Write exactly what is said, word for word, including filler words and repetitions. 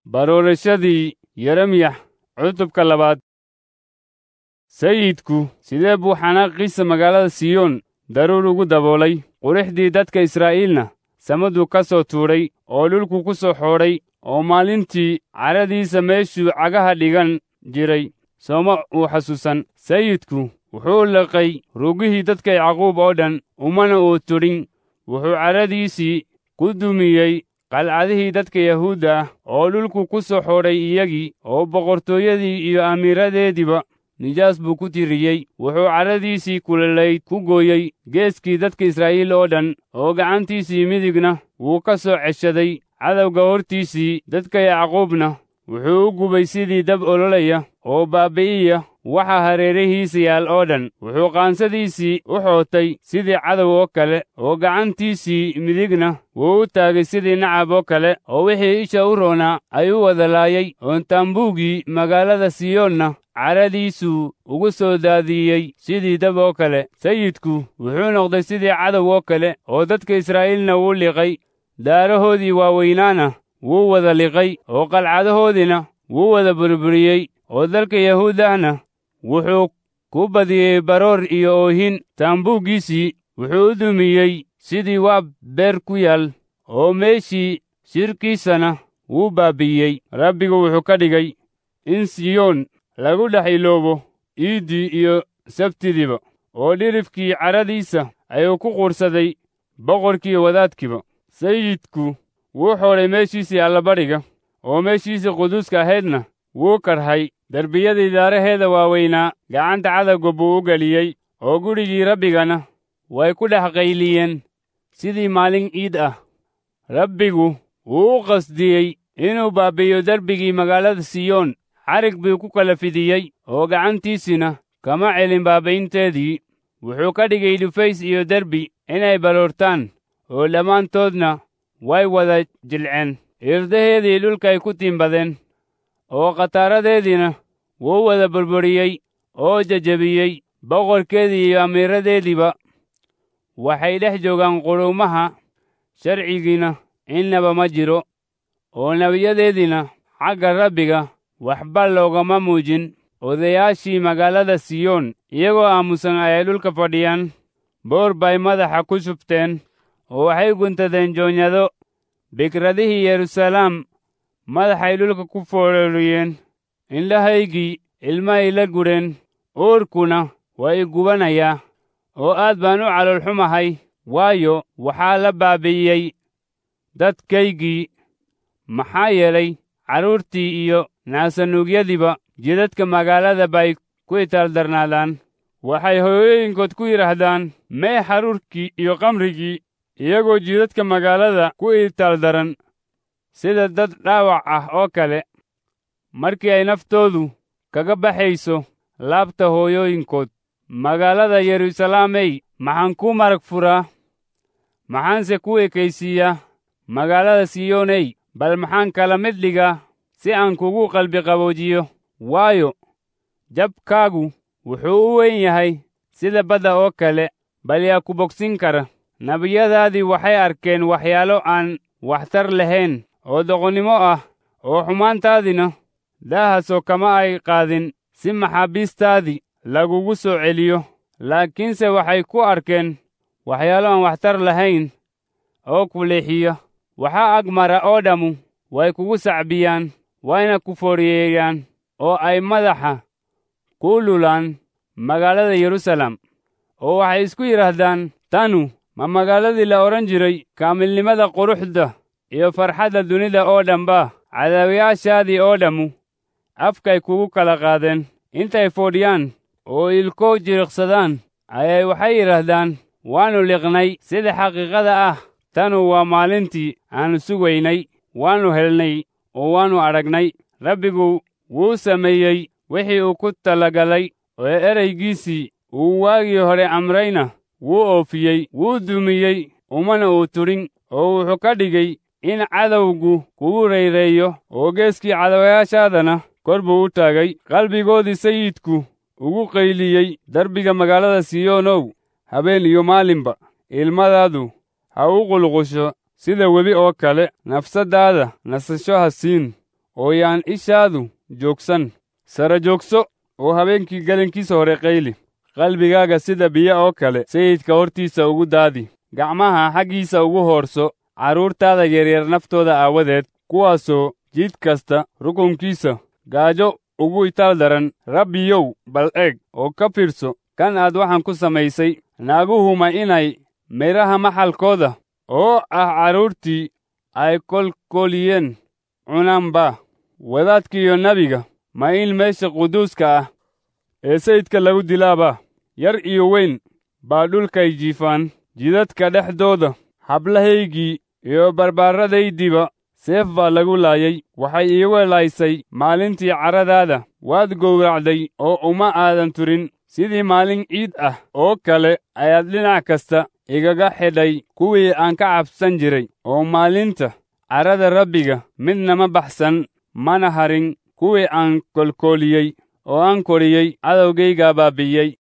Baroorashadii Yeremyax cutubka labaad. Sayidku sidee buu xanaaqiisa magaalada Siyoon daruur ugu daboolay, qurixdii dadka Israa'iilna samaduu ka soo tuuray oo dhulku ku soo xoodhay, oo maalintii cadhadiisa meeshuu cagaha dhigan jiray sooma uu xasuusan. Sayidku wuxuu liqay rugihii dadka Yacquub oo dhan, umana uu tudhin. Wuxuu cadhadiisii ku dumiyey qalcadihii dadka Yahuudda ah, oo dhulku ku soo xoodhay iyagii, oo boqortooyadii iyo amiiradeediiba nijaas buu ku tiriyey. Wuxuu cadhadiisii kululayd ku gooyey geeskii dadka Israa'iil oo dhan, oo gacantiisii midigna wuu ka soo ceshaday cadowga hortiisii. Dadka Yacquubna wuxuu u gubay sidii dab ololaya oo baabi'iya waxa hareerihiisa yaal oo dhan. Wuxuu qaansadiisii u xootay sidii cadow oo kale, oo gacantiisii midigna wuu u taagay sidii nacab oo kale, oo wixii isha u roonaa ayuu wada laayay. Oo taambuugii magaalada Siyoonna cadhadiisuu ugu soo daadiyey sidii dab oo kale. Sayidku wuxuu noqday sidii cadow oo kale, oo dadka Israa'iilna wuu liqay. Daarahoodii waaweynaana wuu wada liqay, oo qalcadahoodiina wuu wada burburiyey, oo dalka Yahuudahna wuxuu ku badiyey baroor iyo oohin. Taambuuggiisii wuxuu u dumiyey sidii waab beer ku yaal, oo meeshii shirkiisana wuu baabi'iyey. Rabbigu wuxuu ka dhigay in Siyoon lagu dhex iloobo iiddii iyo sabtidiiba, oo dhirifkii cadhadiisa ayuu ku quursaday boqorkii wadaadkiiba. Sayidku wuu xoodhay meeshiisii allabadhiga, oo meeshiisii quduuska ahaydna wuu karhay. Derbiyadii daaraheeda waaweynaa gacanta cadowga buu u geliyey, oo gurigii Rabbigana way ku dhex qayliyeen sidii maalin iid ah. Rabbigu wuu u qasdiyey inuu baabi'iyo derbigii magaalada Siyoon, xarig buu ku kala fidiyey, oo gacantiisina kama celin baabi'inteedii. Wuxuu ka dhigay dhufays iyo derbi inay baroortaan, oo dhammaantoodna way wada jilceen. Irdaheedii dhulkay ku tiimbadeen, oo khataaradeediina wuu wada burburiyey oo jejebiyey. Boqorkeedii iyo amiiradeediiba waxay dhex joogaan quruumaha, sharcigiina innaba ma jiro, oo nebiyadeediina xagga Rabbiga waxba loogama muujin. Odayaashii magaalada Siyoon iyagoo aamusan ayay dhulka fadhiyaan, boor bay madaxa ku shubteen, oo waxay guntadeen joonyado. Bikradihii Yeruusalaam madaxay dhulka ku foororiyeen, indhahaygii ilmahay la gureen, uurkuna waa i gubanayaa, oo aad baan u calool xumahay, waayo, waxaa la baabi'iyey dadkaygii. Maxaa yeelay, carruurtii iyo naasanuugyadiiba jidadka magaalada bay ku itaaldarnaadaan. Waxay hooyooyinkood ku yidhaahdaan, mee xaruurkii iyo khamrigii, iyagoo jidadka magaalada ku itaaldaran sida dad dhaawac ah oo kale, markii ay naftoodu kaga baxayso laabta hooyooyinkood. Magaalada Yeruusalaamey, maxaan kuu marag furaa? Maxaanse kuu ekaysiiyaa? Magaalada Siyooney, bal maxaan kala mid dhigaa si aan kugu qalbi qaboojiyo? Waayo, jabkaagu wuxuu u weyn yahay sida badda oo kale, bal yaa ku bogsin kara? Nebiyadaadii waxay arkeen waxyaalo aan waxtar lahayn oo doqonnimo ah, oo xumaantaadina daahaasoo kama ay qaadin si maxaabiistaadii lagugu soo celiyo. Laakiinse waxay ku arkeen waxyaalo aan waxtar lahayn oo ku leexiya. Waxaa ag mara oo dhammu way kugu sacbiyaan, wayna ku fooriyeeyaan, oo ay madaxa ku lulaan magaalada Yeruusaalem, oo waxay isku yidhaahdaan, tanu ma magaaladii la odhan jiray kaamilnimada quruxda iyo farxadda dunida oo dhanba? Cadaawayaashaadii oo dhammu afkay kugu kala qaadeen. Intay foodhiyaan oo ilko jiriqsadaan ayay waxay yidhaahdaan, waannu liqnay. Sida xaqiiqada ah, tanu waa maalintii aannu sugaynay, waannu helnay oo waannu aragnay. Rabbigu wuu sameeyey wixii uu ku talagalay, oo eraygiisii uu waagii hore amrayna wuu oofiyey. Wuu dumiyey, umana uu tudhin, oo wuxuu ka dhigay in cadowgu kugu rayreeyo, oo geeskii cadawayaashaadana kor buu u taagay. Qalbigoodii sayidku ugu qayliyey darbiga magaalada Siyoonow, habeen iyo maalinba ilmadaadu ha u qulqusho sida webi oo kale. Nafsaddaada nasasho ha siin, oo yaan ishaadu joogsan. Sara joogso oo habeenkii gelinkiisa hore qayli. Qalbigaaga sida biyo oo kale sayidka hortiisa ugu daadi. Gacmaha xaggiisa ugu hoorso carruurtaada yaryar naftooda aawadeed, kuwaasoo jid kasta rukunkiisa gaajo ugu itaal daran. Rabbiyow, bal eeg oo ka fiirso kan aad waxaan ku samaysay. Naaguhu ma inay midhaha maxalkooda oo ah carruurtii ay kolkoliyeen cunaanba? Wadaadka iyo nebiga ma in meesha quduuska ah ee sayidka lagu dilaaba? Yar iyo weyn baa dhulkay jiifaan jidadka dhexdooda. Hablahaygii iyo barbaarradaydiiba seef baa lagu laayay. Waxay iigu laysay maalintii carradaada. Waad gowracday oo uma aadan turin. Sidii maalin ciid ah oo kale ayaad dhinac kasta igaga xidhay kuwii aan ka cabsan jiray. Oo maalinta carrada Rabbiga midna ma baxsan mana harin kuwii aan kolkooliyey oo aan koriyey cadowgaygaa baabi'iyey.